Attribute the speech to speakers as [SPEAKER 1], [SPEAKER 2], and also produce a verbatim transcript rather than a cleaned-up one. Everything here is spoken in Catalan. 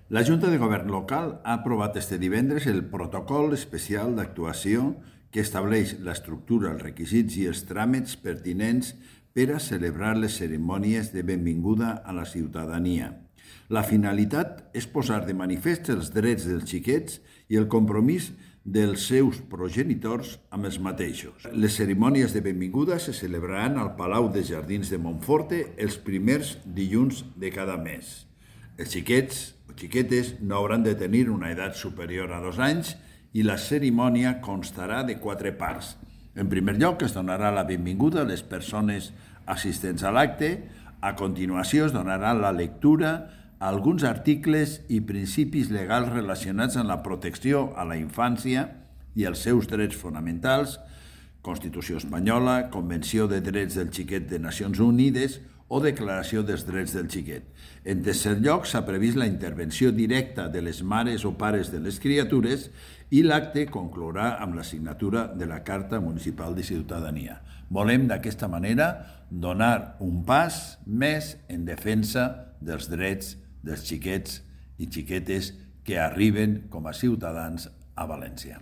[SPEAKER 1] La Junta de Govern local ha aprovat este divendres el protocol especial d'actuació que estableix l'estructura, els requisits i els tràmits pertinents per a celebrar les cerimònies de benvinguda a la ciutadania. La finalitat és posar de manifest els drets dels xiquets i el compromís dels seus progenitors amb els mateixos. Les cerimònies de benvinguda se celebraran al Palau de Jardins de Montforte els primers dilluns de cada mes. Els xiquets o xiquetes no hauran de tenir una edat superior a dos anys i la cerimònia constarà de quatre parts. En primer lloc, es donarà la benvinguda a les persones assistents a l'acte. A continuació, es donarà la lectura a alguns articles i principis legals relacionats amb la protecció a la infància i els seus drets fonamentals, Constitució espanyola, Convenció de Drets del Xiquet de Nacions Unides o Declaració dels Drets del Xiquet. En tercer lloc, s'ha previst la intervenció directa de les mares o pares de les criatures i l'acte conclourà amb la signatura de la Carta Municipal de Ciutadania. Volem d'aquesta manera donar un pas més en defensa dels drets dels xiquets i xiquetes que arriben com a ciutadans a València.